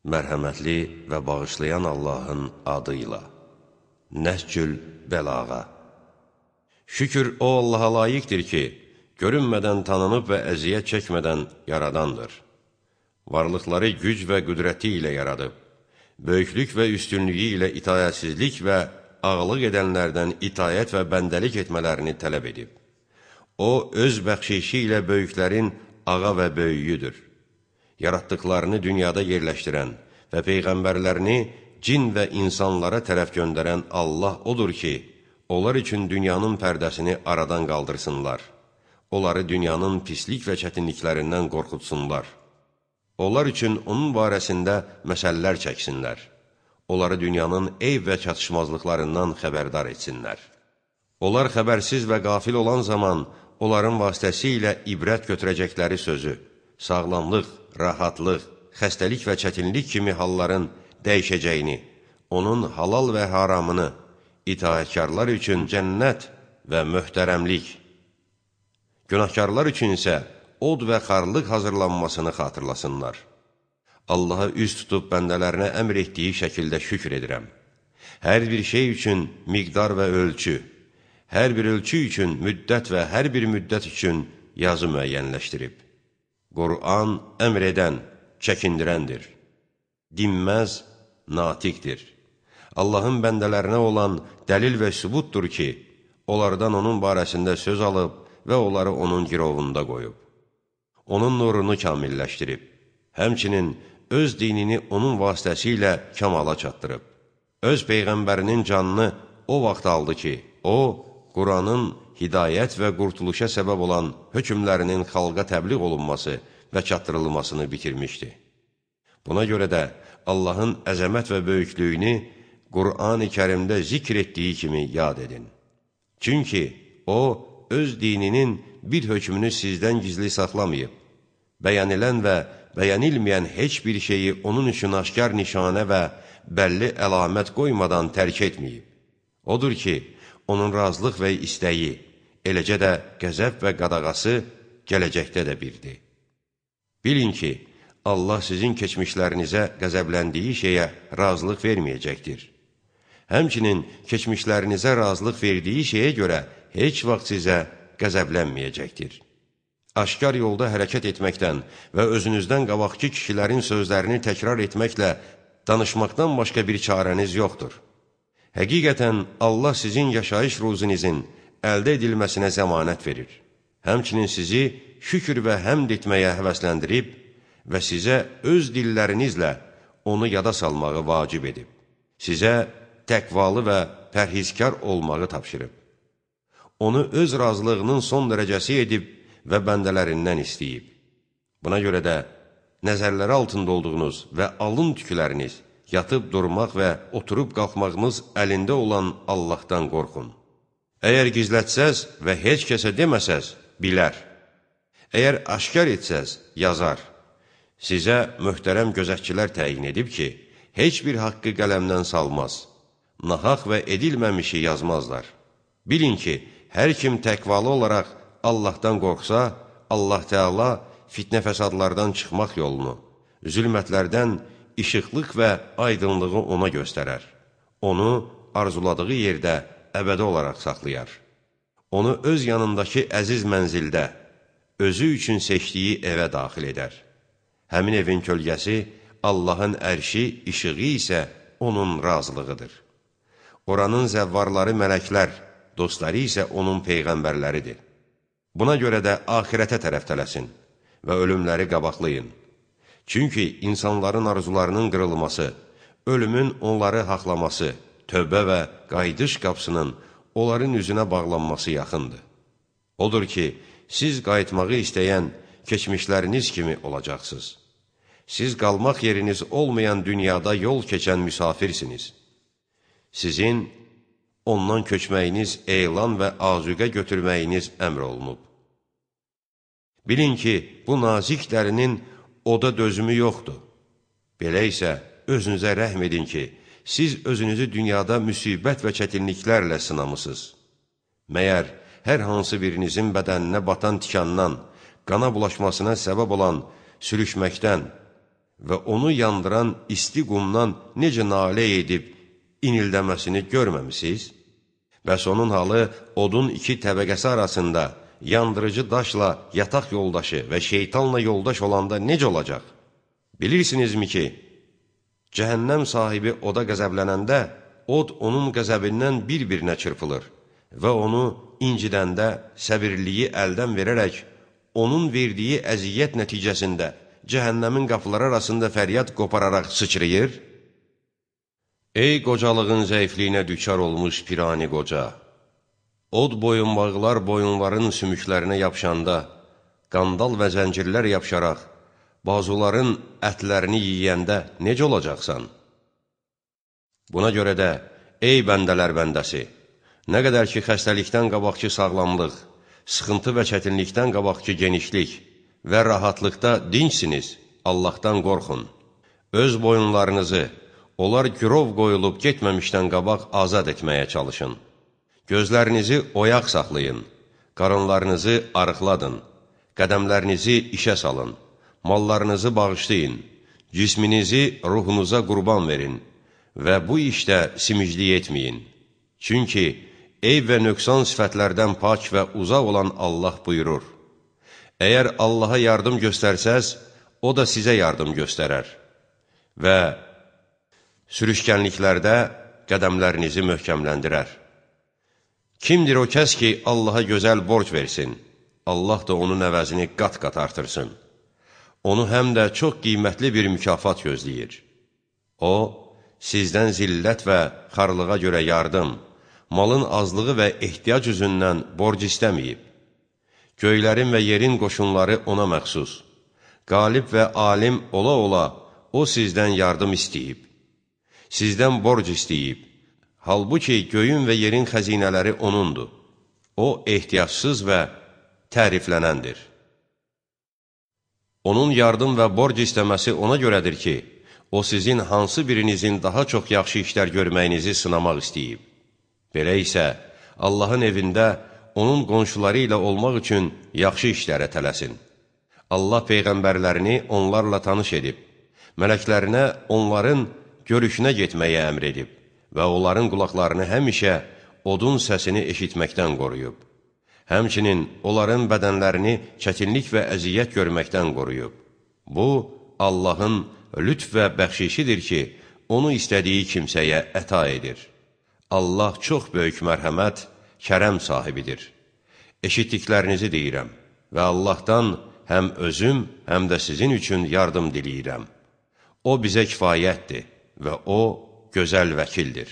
Mərhəmətli və bağışlayan Allahın adıyla. Nəhcül Bəlağa. Şükür o Allaha layiqdir ki, görünmədən tanınıb və əziyyət çəkmədən yaradandır. Varlıqları güc və qüdrəti ilə yaradıb, böyüklük və üstünlüyü ilə itayətsizlik və ağlıq edənlərdən itayət və bəndəlik etmələrini tələb edib. O, öz bəxşişi ilə böyüklərin ağa və böyüyüdür. Yaratdıqlarını dünyada yerləşdirən və peyğəmbərlərini cin və insanlara tərəf göndərən Allah odur ki, onlar üçün dünyanın pərdəsini aradan qaldırsınlar. Onları dünyanın pislik və çətinliklərindən qorxutsunlar. Onlar üçün onun barəsində məsələlər çəksinlər. Onları dünyanın eyb və çatışmazlıqlarından xəbərdar etsinlər. Onlar xəbərsiz və qafil olan zaman, onların vasitəsilə ibrət götürəcəkləri sözü, sağlamlıq, rahatlıq, xəstəlik və çətinlik kimi halların dəyişəcəyini, onun halal və haramını, itaətkarlar üçün cənnət və möhtərəmlik, günahkarlar üçün isə od və xarlıq hazırlanmasını xatırlasınlar. Allaha üz tutub bəndələrinə əmr etdiyi şəkildə şükr edirəm. Hər bir şey üçün miqdar və ölçü, hər bir ölçü üçün müddət və hər bir müddət üçün yazı müəyyənləşdirib. Qur'an əmr edən, çəkindirəndir. Dinməz, natiqdir. Allahın bəndələrinə olan dəlil və sübutdur ki, onlardan onun barəsində söz alıb və onları onun girovunda qoyub. Onun nurunu kamilləşdirib, həmçinin öz dinini onun vasitəsilə kamala çatdırıb. Öz peyğəmbərinin canını o vaxt aldı ki, o, Quranın hidayət və qurtuluşa səbəb olan hökmlərinin xalqa təbliğ olunması və çatdırılmasını bitirmişdi. Buna görə də Allahın əzəmət və böyüklüyünü Qur'an-ı Kərimdə zikr etdiyi kimi yad edin. Çünki o, öz dininin bir hökmünü sizdən gizli saxlamayıb, bəyənilən və bəyənilməyən heç bir şeyi onun üçün aşkar nişanə və bəlli əlamət qoymadan tərk etməyib. Odur ki, onun razılıq və istəyi, eləcə də qəzəb və qadağası gələcəkdə də birdir. Bilin ki, Allah sizin keçmişlərinizə qəzəbləndiyi şeyə razılıq verməyəcəkdir. Həmçinin keçmişlərinizə razılıq verdiyi şeyə görə heç vaxt sizə qəzəblənməyəcəkdir. Aşkar yolda hərəkət etməkdən və özünüzdən qabaqki kişilərin sözlərini təkrar etməklə danışmaqdan başqa bir çarəniz yoxdur. Həqiqətən Allah sizin yaşayış ruzunizin əldə edilməsinə zəmanət verir. Həmçinin sizi şükür və həmd etməyə həvəsləndirib və sizə öz dillərinizlə onu yada salmağı vacib edib. Sizə təqvalı və pərhizkar olmağı tapşırıb. Onu öz razılığının son dərəcəsi edib və bəndələrindən istəyib. Buna görə də nəzərləri altında olduğunuz və alın tükləriniz, yatıb durmaq və oturub qalxmağınız əlində olan Allahdan qorxun. Əgər gizlətsəz və heç kəsə deməsəz, bilər. Əgər aşkar etsəz, yazar. Sizə möhtərəm gözətçilər təyin edib ki, heç bir haqqı qələmdən salmaz. Nahaq və edilməmişi yazmazlar. Bilin ki, hər kim təqvalı olaraq Allahdan qorxsa, Allah Teala fitnə fəsadlardan çıxmaq yolunu, zülmətlərdən işıqlıq və aydınlığı ona göstərər. Onu arzuladığı yerdə əbədi olaraq saxlayar. Onu öz yanındakı əziz mənzildə, özü üçün seçdiyi evə daxil edər. Həmin evin kölgəsi, Allahın ərşi, işığı isə onun razılığıdır. Oranın zəvvarları mələklər, dostları isə onun peyğəmbərləridir. Buna görə də axirətə tərəf tələsin və ölümləri qabaqlayın. Çünki insanların arzularının qırılması, ölümün onları haqlaması, tövbə və qayıdış qapısının onların üzünə bağlanması yaxındır. Odur ki, siz qayıtmağı istəyən keçmişləriniz kimi olacaqsınız. Siz qalmaq yeriniz olmayan dünyada yol keçən müsafirsiniz. Sizin ondan köçməyiniz elan və azuqə götürməyiniz əmr olunub. Bilin ki, bu nazik dərinin oda dözümü yoxdur. Belə isə özünüzə rəhm edin ki, siz özünüzü dünyada müsibət və çətinliklərlə sınamısınız. Məyər hər hansı birinizin bədəninə batan tikandan, qana bulaşmasına səbəb olan sürüşməkdən və onu yandıran isti qumdan necə nalə edib inildəməsini görməmisiniz? Bəs onun halı odun iki təbəqəsi arasında yandırıcı daşla yataq yoldaşı və şeytanla yoldaş olanda necə olacaq? Bilirsinizmi ki, cəhənnəm sahibi oda qəzəblənəndə, od onun qəzəbindən bir-birinə çırpılır və onu incidəndə səbirliyi əldən verərək, onun verdiyi əziyyət nəticəsində cəhənnəmin qapıları arasında fəryad qopararaq sıçrayır? Ey qocalığın zəifliyinə düçar olmuş pirani qoca! Od boyunbağlar boyunların sümüklərinə yapışanda, qandal və zəncirlər yapışaraq, bazuların ətlərini yiyəndə necə olacaqsan? Buna görə də, ey bəndələr bəndəsi, nə qədər ki xəstəlikdən qabaqki sağlamlıq, sıxıntı və çətinlikdən qabaqki genişlik və rahatlıqda dinçsiniz, Allahdan qorxun. Öz boyunlarınızı, onlar girov qoyulub getməmişdən qabaq azad etməyə çalışın. Gözlərinizi oyaq saxlayın, qarınlarınızı arıqladın, qədəmlərinizi işə salın, mallarınızı bağışlayın, cisminizi ruhunuza qurban verin və bu işdə simiclik etməyin. Çünki eyb və nöqsan sifətlərdən pak və uzaq olan Allah buyurur: Əgər Allaha yardım göstərsəz, o da sizə yardım göstərər və sürüşkənliklərdə qədəmlərinizi möhkəmləndirər. Kimdir o kəs ki, Allaha gözəl borc versin, Allah da onun əvəzini qat-qat artırsın. Onu həm də çox qiymətli bir mükafat gözləyir. O, sizdən zillət və xarlığa görə yardım, malın azlığı və ehtiyac üzündən borc istəməyib. Göylərin və yerin qoşunları ona məxsus. Qalib və alim ola-ola o sizdən yardım istəyib. Sizdən borc istəyib. Halbuki göyün və yerin xəzinələri onundur. O, ehtiyacsız və təriflənəndir. Onun yardım və borc istəməsi ona görədir ki, o sizin hansı birinizin daha çox yaxşı işlər görməyinizi sınamaq istəyib. Belə isə, Allahın evində onun qonşuları ilə olmaq üçün yaxşı işlərə tələsin. Allah peyğəmbərlərini onlarla tanış edib, mələklərinə onların görüşünə getməyə əmr edib və onların qulaqlarını həmişə odun səsini eşitməkdən qoruyub. Həmçinin onların bədənlərini çətinlik və əziyyət görməkdən qoruyub. Bu, Allahın lütf və bəxşişidir ki, onu istədiyi kimsəyə əta edir. Allah çox böyük mərhəmət, kərəm sahibidir. Eşitdiklərinizi deyirəm və Allahdan həm özüm, həm də sizin üçün yardım diləyirəm. O bizə kifayətdir və o gözəl vəkildir.